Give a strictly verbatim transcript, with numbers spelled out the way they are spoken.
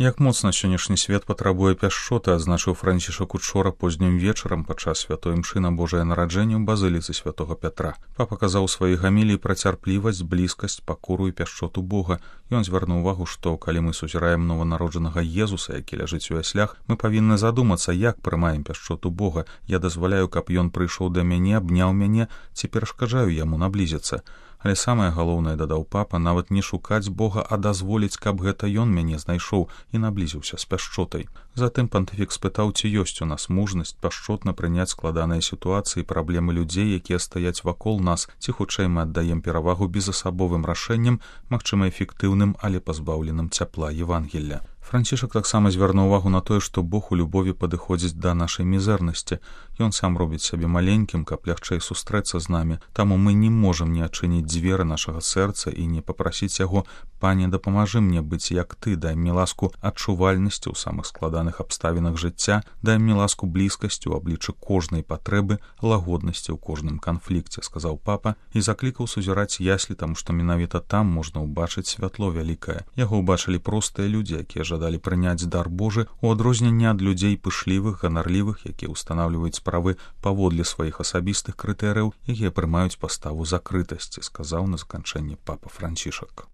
Як моцна сённяшні свет патрабуе пяшчоты, адзначыў Францішак учора познім вечарам падчас святой імшы на Божае нараджэнне ў базыліцы святого Пятра. Папа казаў у сваёй гаміліі пра цярплівасць, блізкасць, пакору і пяшчоту Бога. Ён звярнуў увагу, што калі мы сузіраем нованароджанага Езуса, які ляжыць у яслях, мы павінны задумацца, як прымаем пяшчоту Бога. Я дазваляю, каб ён прыйшоў да мяне, абняў мяне, ці перашкаджаю яму наблізіцца. Але самае галоўнае, дадаў папа, нават не шукаць Бога, а дазволіць, каб гэта ён мяне знайшоў і наблізіўся з пяшчотай. Затым пантыфік спытаў, ці ёсць у нас мужнасць пяшчотна прыняць складаныя сітуацыі, праблемы людзей, якія стаяць вакол нас, ці хутчэй мы аддаем перавагу безасабовым рашэнням, магчыма эфектыўным, але пазбаўленым цяпла Евангелля. Францішак таксама звярнуў увагу на тое, што Бог у любові падыходзіць да нашай мізэрнасці. Ён сам робіць сябе маленькім, каб лягчэй сустрэцца з намі. Таму мы не можам не адчыніць дзверы нашага сэрца і не папрасіць яго: «Пане, дапамажы мне быць як ты, дай мне ласку адчувальнасці ў самых складаных абставінах жыцця, дай мне ласку блізкасці ў абліччы кожнай патрэбы, лагоднасці ў кожным канфлікце», — сказаў папа і заклікаў сузіраць яслі, таму што менавіта там можна ўбачыць святло вялікае. Яго ўбачылі простыя людзі, якія жадалі прыняць дар Божы, у адрозненне ад людзей пышлівых, ганарлівых, якія ўстанаўліваюць справы паводле сваіх асабістых крытэрыяў, якія прымаюць паставу закрытасці, сказаў на заканчэнне папа Францішак.